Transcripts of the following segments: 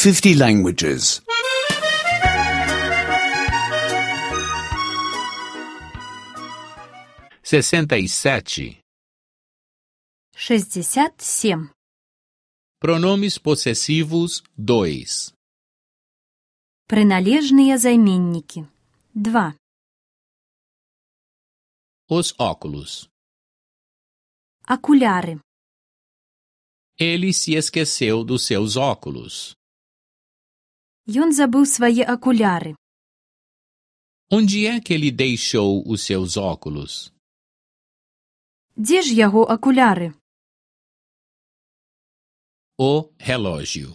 50 languages. 67. 67. Pronomes possessivos 2. Приналежные займенники. 2. Os óculos. Окуляри. Ele se esqueceu dos seus óculos. Ён забыў свае акуляры. Onde é que ele deixou os seus óculos? Дзе ж яго акуляры? O relógio.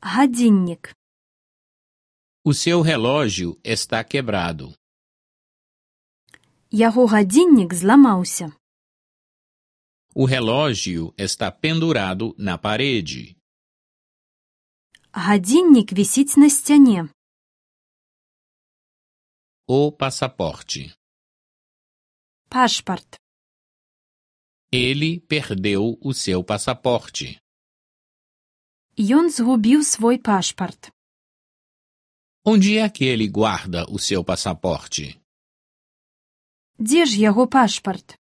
Гадзіннік. O seu relógio está quebrado. Яго гадзіннік зламаўся. O relógio está pendurado na parede. Гадзіннік вісіць на сцяне. O passaporte. Пашпарт. Ele perdeu o seu passaporte. Ён згубіў свой пашпарт. Onde é que ele guarda o seu passaporte? Дзе ж яго пашпарт?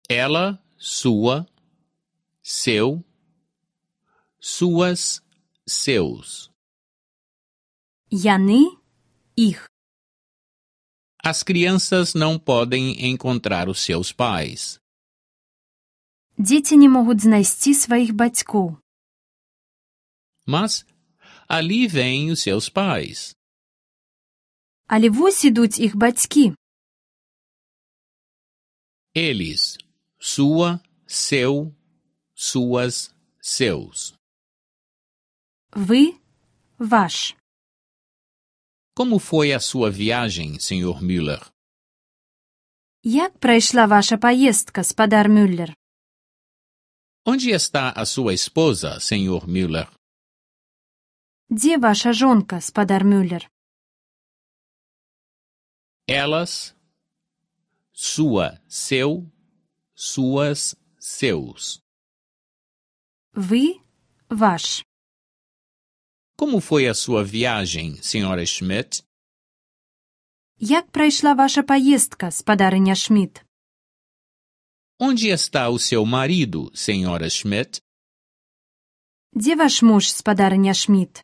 Ela, sua, seu, suas, seus. Яны, іх. As crianças não podem encontrar os seus pais. Дзеці не могуць знайсці сваіх бацькоў. Mas ali vêm os seus pais. Але вось ідуць іх бацькі. Eles, sua, seu, suas, seus. Ви, ваш. Como foi a sua viagem, Sr. Müller? Як прайшла ваша паездка, спадар Мюллер? Onde está a sua esposa, Sr. Müller? Дзе ваша жонка, спадар Мюллер? Elas, sua, seu, suas, seus. Ви, ваш. Como foi a sua viagem, Sra. Schmidt? Як прайшла ваша паездка, спадарыня Шмідт? Onde está o seu marido, Sra. Schmidt? Дзе ваш муж, спадарыня Шмідт?